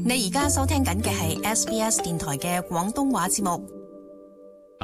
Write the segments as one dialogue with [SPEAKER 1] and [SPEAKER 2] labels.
[SPEAKER 1] 你而家收聽緊嘅係 SBS 電台嘅廣東話節目。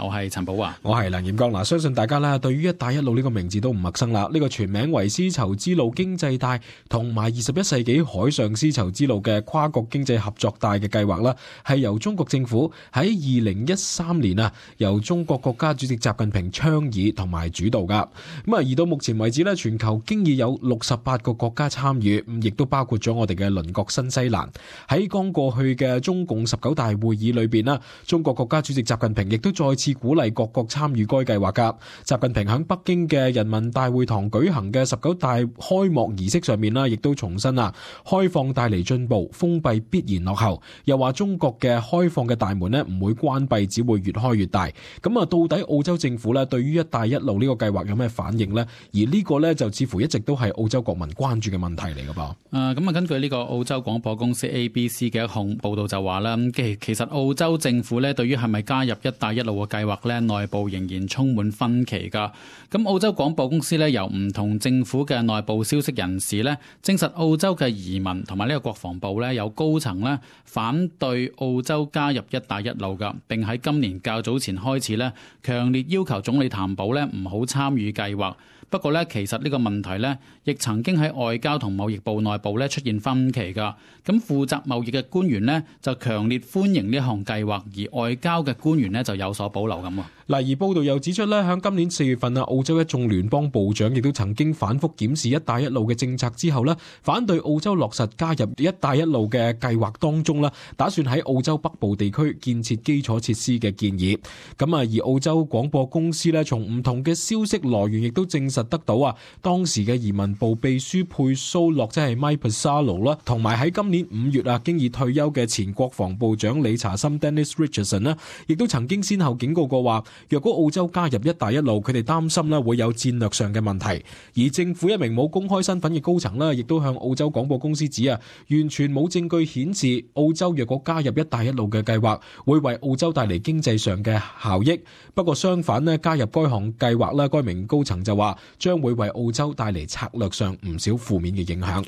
[SPEAKER 2] 我係陳寶華，
[SPEAKER 3] 我係梁彥剛。相信大家咧對於一帶一路呢個名字都唔陌生啦。呢個全名為絲綢之路經濟帶同埋21世紀海上絲綢之路嘅跨國經濟合作帶嘅計劃啦，係由中國政府喺2013年由中國國家主席習近平倡議同埋主導噶。而到目前為止咧，全球經已有68個國家參與，亦都包括咗我哋嘅鄰國新西蘭。喺剛過去嘅中共19大會議裏邊啦，中國國家主席習近平亦都再次鼓勵各國參與該計劃噶。習近平喺北京嘅人民大會堂舉行嘅19大開幕儀式上面啦，亦都重申開放帶嚟進步，封閉必然落後。又話中國嘅開放嘅大門咧唔會關閉，只會越開越大。咁到底澳洲政府咧對於一帶一路呢個計劃有咩反應呢？而呢個咧就似乎一直都係澳洲國民關注嘅問題嚟噶噃。
[SPEAKER 2] 根據呢個澳洲廣播公司 ABC 嘅一項報道就話啦，其實澳洲政府咧對於係咪加入一帶一路嘅計劃咧，內部仍然充滿分歧噶。咁澳洲廣播公司咧由唔同政府嘅內部消息人士咧證實，澳洲嘅移民同埋呢個國防部咧有高層咧反對澳洲加入一帶一路噶，並喺今年較早前開始咧強烈要求總理譚寶咧唔好參與計劃。不過咧，其實呢個問題咧，亦曾經喺外交同貿易部內部咧出現分歧㗎。咁負責貿易嘅官員呢，就強烈歡迎呢項計劃，而外交嘅官員呢，就有所保留咁。
[SPEAKER 3] 而報道又指出咧，喺今年4月份澳洲一眾聯邦部長亦都曾經反覆檢視一帶一路嘅政策之後咧，反對澳洲落實加入一帶一路嘅計劃當中啦，打算喺澳洲北部地區建設基礎設施嘅建議。而澳洲廣播公司咧，從唔同嘅消息來源亦都證實得到當時嘅移民部秘書佩蘇洛即係 Mike Pasalo 啦，同埋喺今年5月經已退休嘅前國防部長理查森 Dennis Richardson 啦，亦都曾經先後警告過話，若果澳洲加入一帶一路，佢哋擔心會有戰略上嘅問題。而政府一名冇公開身份嘅高層亦都向澳洲廣播公司指完全冇證據顯示澳洲若果加入一帶一路嘅計劃會為澳洲帶嚟經濟上嘅效益。不過相反加入該項計劃該名高層就話將會為澳洲帶嚟策略上唔少負面嘅影響。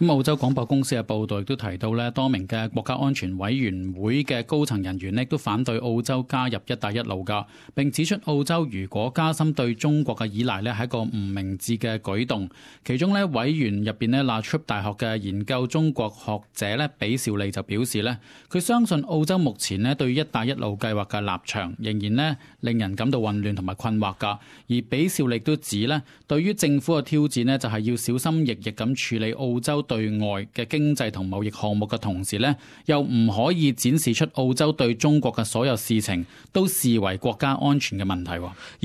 [SPEAKER 2] 澳洲廣播公司嘅報道亦都提到多名嘅國家安全委員會嘅高層人員都反對澳洲加入一帶一路㗎，並指出澳洲如果加深對中國嘅依賴係一個唔明智嘅舉動。其中委員入邊La Trobe 大學嘅研究中國學者比兆利就表示佢相信澳洲目前對一帶一路計劃嘅立場仍然令人感到混亂同埋困惑㗎。而比兆利都指對於政府嘅挑戰就係要小心翼翼咁處理澳洲對外嘅經濟同貿易項目嘅同時又唔可以展示出澳洲對中國嘅所有事情都視為國家安全嘅問題。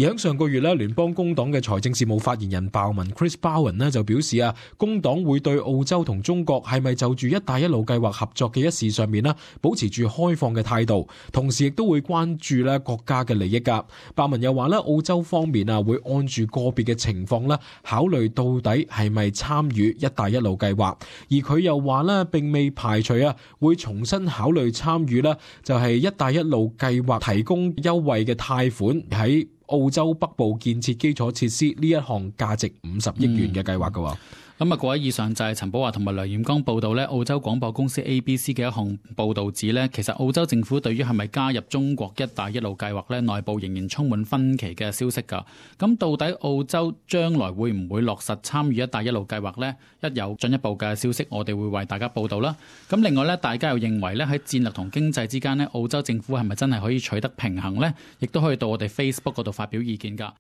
[SPEAKER 3] 而喺上個月聯邦工黨嘅財政事務發言人鮑文 Chris Bowen 就表示工黨會對澳洲同中國係咪就住一帶一路計劃合作嘅一事上面保持住開放嘅態度，同時亦都會關注國家嘅利益㗎。鮑文又話澳洲方面會按住個別嘅情況考慮到底係咪參與一帶一路計劃。而佢又話並未排除會重新考慮參與就係一帶一路計劃提供優惠嘅貸款喺澳洲北部建設基礎設施呢一項價值50億元嘅計劃㗎。
[SPEAKER 2] 各位，以上就係陳寶華同埋梁彥剛報道澳洲廣播公司 ABC 嘅一項報道指其實澳洲政府對於係咪加入中國一帶一路計劃內部仍然充滿分歧嘅消息㗎。咁到底澳洲將來會唔會落實參與一帶一路計劃呢？一有進一步嘅消息，我哋會為大家報道啦。咁另外大家又認為喺戰略同經濟之間澳洲政府係咪真係可以取得平衡呢？亦都可以到我哋 Facebook 嗰度發表意見㗎。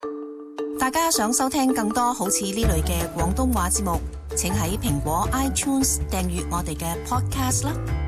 [SPEAKER 1] 大家想收聽更多好似呢類嘅廣東話節目，請喺蘋果 iTunes 訂閱我哋嘅 podcast 啦。